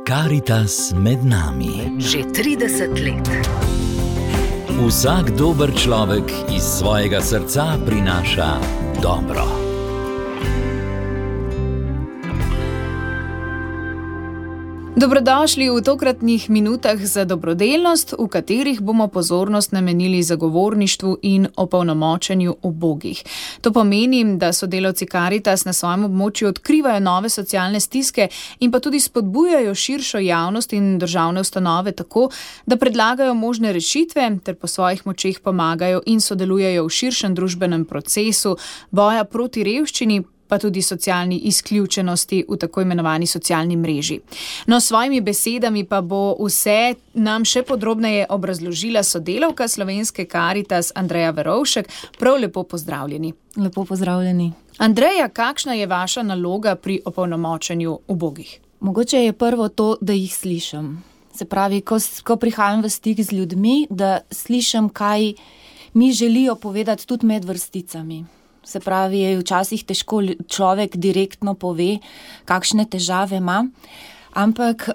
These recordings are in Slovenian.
Karitas med nami. Že 30 let. Vsak dober človek iz svojega srca prinaša dobro. Dobrodošli v tokratnih minutah za dobrodelnost, v katerih bomo pozornost namenili zagovorništvu in opolnomočenju ubogih. To pomeni, da sodelavci Karitas na svojem območju odkrivajo nove socialne stiske in pa tudi spodbujajo širšo javnost in državne ustanove tako, da predlagajo možne rešitve ter po svojih močeh pomagajo in sodelujejo v širšem družbenem procesu boja proti revščini, pa tudi socialni izključenosti v tako imenovani socialni mreži. No, s svojimi besedami pa bo vse nam še podrobneje obrazložila sodelavka Slovenske Karitas Andreja Verovšek. Prav lepo pozdravljeni. Lepo pozdravljeni. Andreja, kakšna je vaša naloga pri opolnomočenju ubogih? Mogoče je prvo to, da jih slišim. Se pravi, ko prihajam v stik z ljudmi, da slišim, kaj mi želijo povedati tudi med vrsticami. Se pravi, včasih težko človek direktno pove, kakšne težave ima, ampak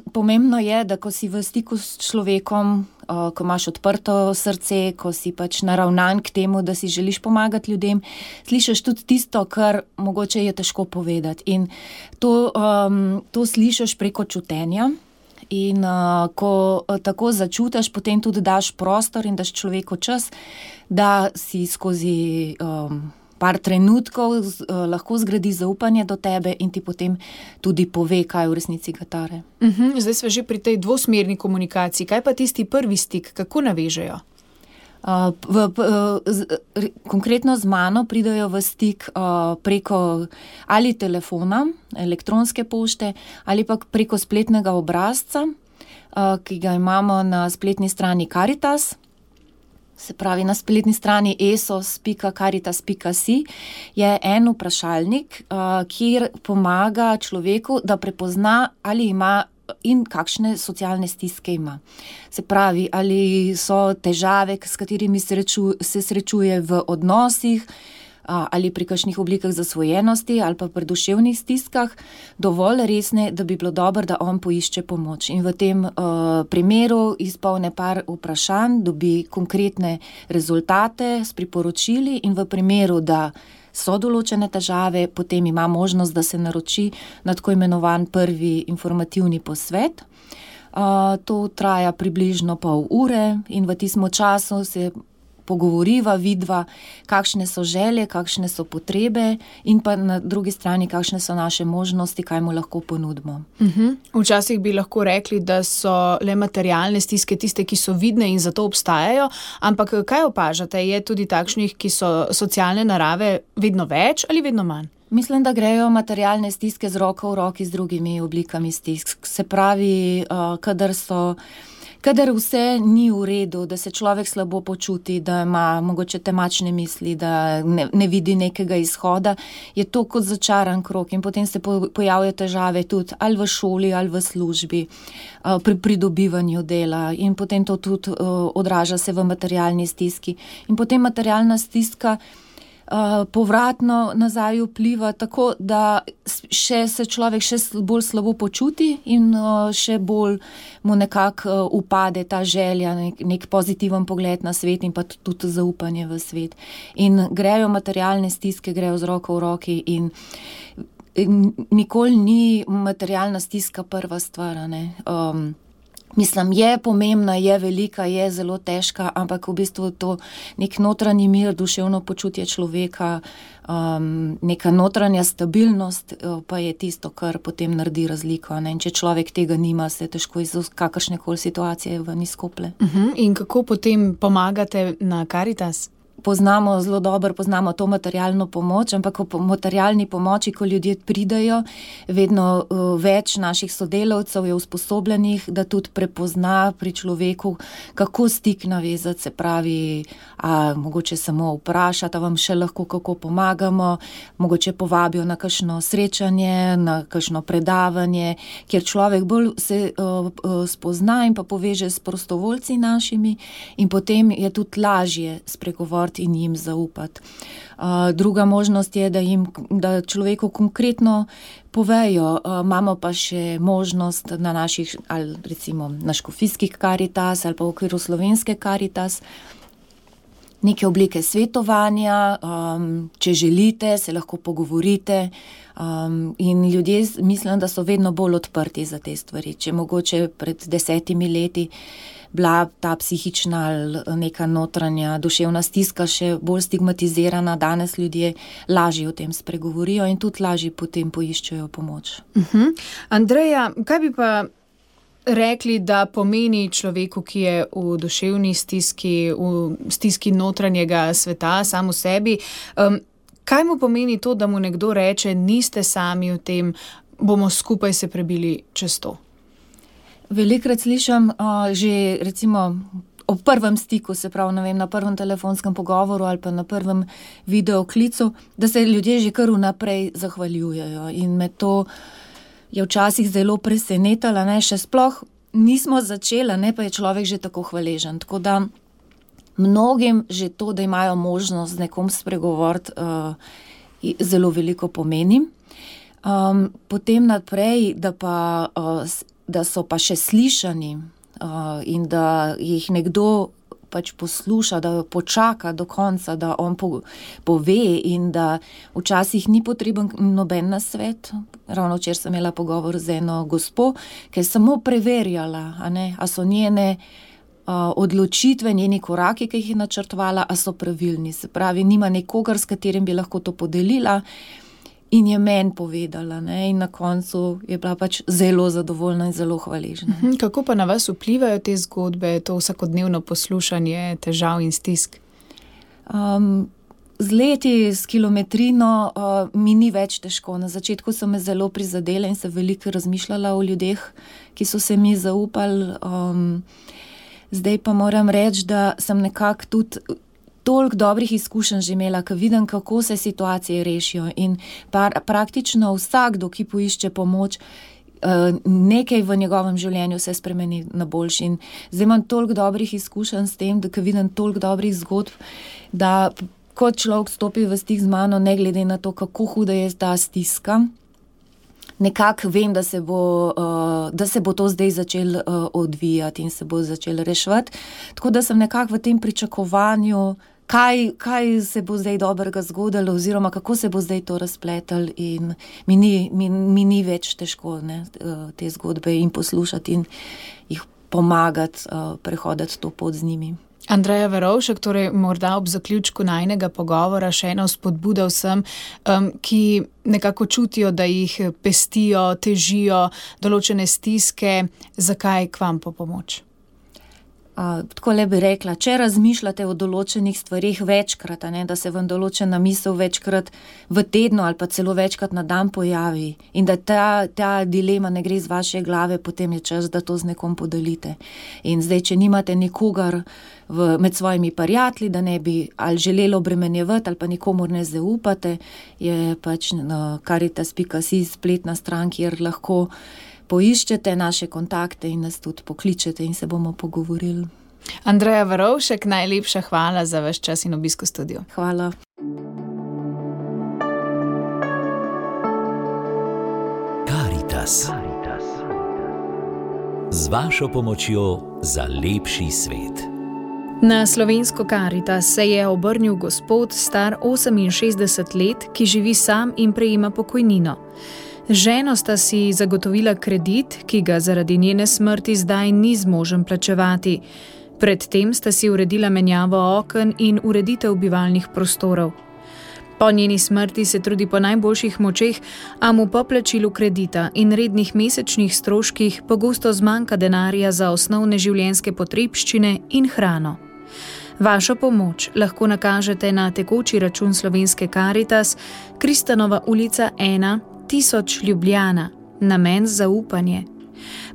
pomembno je, da ko si v stiku s človekom, ko imaš odprto srce, ko si pač naravnan k temu, da si želiš pomagati ljudem, slišiš tudi tisto, kar mogoče je težko povedati. In to slišiš preko čutenja. In ko tako začutiš, potem tudi daš prostor in daš človeku čas, da si skozi par trenutkov lahko zgradi zaupanje do tebe in ti potem tudi pove, kaj v resnici ga tare. Zdaj smo že pri tej dvosmerni komunikaciji. Kaj pa tisti prvi stik, kako navežejo? Konkretno z mano pridajo v stik preko ali telefona, elektronske pošte, ali pa preko spletnega obrazca, ki ga imamo na spletni strani Karitas. Se pravi, na spletni strani esos.karitas.si je en vprašalnik, kjer pomaga človeku, da prepozna, ali ima in kakšne socialne stiske ima. Se pravi, ali so težave, s katerimi se srečuje v odnosih, ali pri kakšnih oblikah zasvojenosti, ali pa pri duševnih stiskah, dovolj resne, da bi bilo dobro, da on poišče pomoč. In v tem primeru izpolne par vprašanj, dobi konkretne rezultate s priporočili in v primeru, da so določene težave, potem ima možnost, da se naroči na tako imenovan prvi informativni posvet. To traja približno pol ure in v tistem času se pogovoriva, vidva, kakšne so želje, kakšne so potrebe in pa na drugi strani, kakšne so naše možnosti, kaj mu lahko ponudimo. Včasih bi lahko rekli, da so le materialne stiske tiste, ki so vidne in zato obstajajo, ampak kaj opažate? Je tudi takšnih, ki so socialne narave vedno več ali vedno manj? Mislim, da grejo materialne stiske z roko v roki z drugimi oblikami stisk. Se pravi, kadar vse ni v redu, da se človek slabo počuti, da ima mogoče temačne misli, da ne vidi nekega izhoda, je to kot začaran krog in potem se pojavljajo težave tudi ali v šoli ali v službi, pri pridobivanju dela in potem to tudi odraža se v materialni stiski. In potem materialna stiska povratno nazaj vpliva tako, da se človek še bolj slabo počuti in še bolj mu nekako upade ta želja, nek pozitiven pogled na svet in pa tudi zaupanje v svet. In grejo materialne stiske, grejo z roko v roki in nikoli ni materialna stiska prva stvar, ne. Mislim, je pomembna, je velika, je zelo težka, ampak v bistvu to nek notranji mir, duševno počutje človeka, neka notranja stabilnost pa je tisto, kar potem naredi razliko. Ne? In če človek tega nima, se težko iz kakršnekoli situacije ven izkoplje. In kako potem pomagate na Karitas? Zelo dobro poznamo to materialno pomoč, ampak po materialni pomoči, ko ljudje pridejo, vedno več naših sodelavcev je usposobljenih, da tudi prepozna pri človeku, kako stik navezati, se pravi, mogoče samo vprašati, vam še lahko kako pomagamo, mogoče povabijo na kakšno srečanje, na kakšno predavanje, kjer človek bolj se spozna in pa poveže s prostovoljci našimi in potem je tudi lažje spregovoriti pogovarjati in jim zaupati. Druga možnost je, da človeku konkretno povejo. Imamo pa še možnost na naših, ali recimo na škofijskih Karitas ali pa v okviru slovenske Karitas, neke oblike svetovanja, če želite, se lahko pogovorite, in ljudje mislim, da so vedno bolj odprti za te stvari. Če mogoče pred 10 leti bila ta psihična ali neka notranja duševna stiska še bolj stigmatizirana, danes ljudje lažje o tem spregovorijo in tudi lažje potem poiščejo pomoč. Andreja, kaj bi pa rekli, da pomeni človeku, ki je v duševni stiski, v stiski notranjega sveta, sam v sebi, kaj mu pomeni to, da mu nekdo reče, niste sami v tem, bomo skupaj se prebili čez to? Velikokrat slišim že recimo ob prvem stiku, se pravi, ne vem, na prvem telefonskem pogovoru ali pa na prvem videoklicu, da se ljudje že kar vnaprej zahvaljujejo, in me to je včasih zelo presenetilo, še sploh nismo začeli, pa je človek že tako hvaležen. Tako da mnogim že to, da imajo možnost z nekom spregovoriti, zelo veliko pomeni. Potem naprej, da so pa še slišani in da jih nekdo pač posluša, da počaka do konca, da on pove in da včasih ni potreben noben nasvet. Ravno včeraj sem imela pogovor z eno gospo, ki je samo preverjala, a so njene odločitve, njeni koraki, ki jih je načrtovala, a so pravilni. Se pravi, nima nekogar, s katerim bi lahko to podelila, in je meni povedala, in na koncu je bila pač zelo zadovoljna in zelo hvaležna. Kako pa na vas vplivajo te zgodbe, to vsakodnevno poslušanje težav in stisk? Z leti, s kilometrino mi ni več težko. Na začetku so me zelo prizadele in se veliko razmišljala o ljudeh, ki so se mi zaupali. Zdaj pa moram reči, da sem nekako tudi toliko dobrih izkušenj že imela, ko vidim, kako se situacije rešijo, in praktično vsakdo, ki poišče pomoč, nekaj v njegovem življenju se spremeni na boljši. In zdaj imam toliko dobrih izkušenj s tem, da ko vidim toliko dobrih zgodb, da kot človek stopi v stik z mano, ne glede na to, kako huda je ta stiska, nekako vem, da se bo to zdaj začelo odvijati in se bo začelo reševati. Tako da sem nekako v tem pričakovanju, kaj se bo zdaj dobrega zgodilo oziroma kako se bo zdaj to razpletalo, in mi ni več težko te zgodbe in poslušati in jih pomagati prehoditi to pot z njimi. Andreja Verovšek, torej morda ob zaključku najinega pogovora še ena spodbuda vsem, ki nekako čutijo, da jih pestijo, težijo določene stiske, zakaj k vam po pomoč? Tako le bi rekla, če razmišljate o določenih stvarih večkrat, da se vam določena misel večkrat v tednu ali pa celo večkrat na dan pojavi in da ta dilema ne gre z vaše glave, potem je čas, da to z nekom podelite. In zdaj, če nimate nikogar med svojimi prijatelji, da ne bi ali želeli obremenjevati ali pa nikomur ne zaupate, je pač Karitas.si spletna stran, kjer lahko poiščete naše kontakte in nas tudi pokličete in se bomo pogovorili. Andreja Verovšek, najlepša hvala za vaš čas in obisk v studiu. Hvala. Karitas. Z vašo pomočjo za lepši svet. Na slovensko Karitas se je obrnil gospod star 68 let, ki živi sam in prejema pokojnino. Z ženo sta si zagotovila kredit, ki ga zaradi njene smrti zdaj ni zmožen plačevati. Predtem sta si uredila menjavo oken in ureditev bivalnih prostorov. Po njeni smrti se trudi po najboljših močeh, a mu po plačilu kredita in rednih mesečnih stroških pogosto zmanjka denarja za osnovne življenjske potrebščine in hrano. Vašo pomoč lahko nakažete na tekoči račun slovenske Karitas, Kristanova ulica 1, 1000 Ljubljana, namen zaupanje.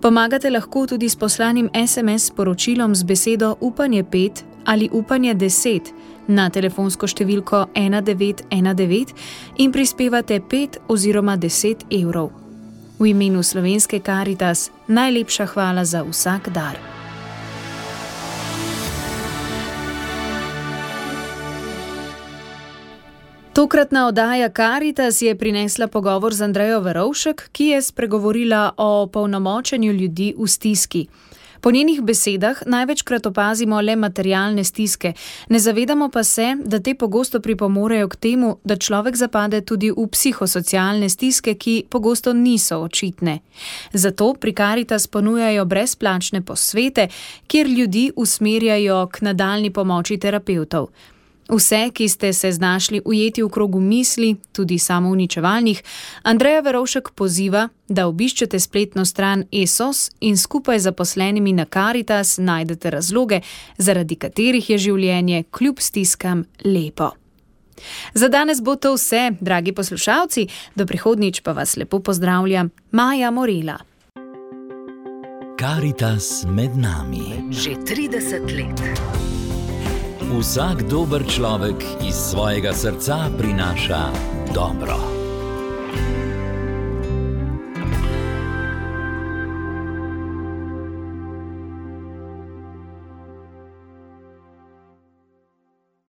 Pomagate lahko tudi s poslanim SMS sporočilom z besedo Upanje 5 ali Upanje 10 na telefonsko številko 1919 in prispevate 5 oziroma 10 evrov. V imenu slovenske Karitas najlepša hvala za vsak dar. Tokratna oddaja Karitas je prinesla pogovor z Andrejo Verovšek, ki je spregovorila o opolnomočenju ljudi v stiski. Po njenih besedah največkrat opazimo le materialne stiske, ne zavedamo pa se, da te pogosto pripomorejo k temu, da človek zapade tudi v psihosocialne stiske, ki pogosto niso očitne. Zato pri Karitas ponujajo brezplačne posvete, kjer ljudi usmerjajo k nadaljnji pomoči terapevtov. Vse, ki ste se znašli ujeti v krogu misli, tudi samouničevalnih, Andreja Verovšek poziva, da obiščete spletno stran ESOS in skupaj z zaposlenimi na Karitas najdete razloge, zaradi katerih je življenje kljub stiskam lepo. Za danes bo to vse, dragi poslušalci, do prihodnjič pa vas lepo pozdravljam, Maja Morela. Karitas med nami. Že 30 let. Vsak dober človek iz svojega srca prinaša dobro.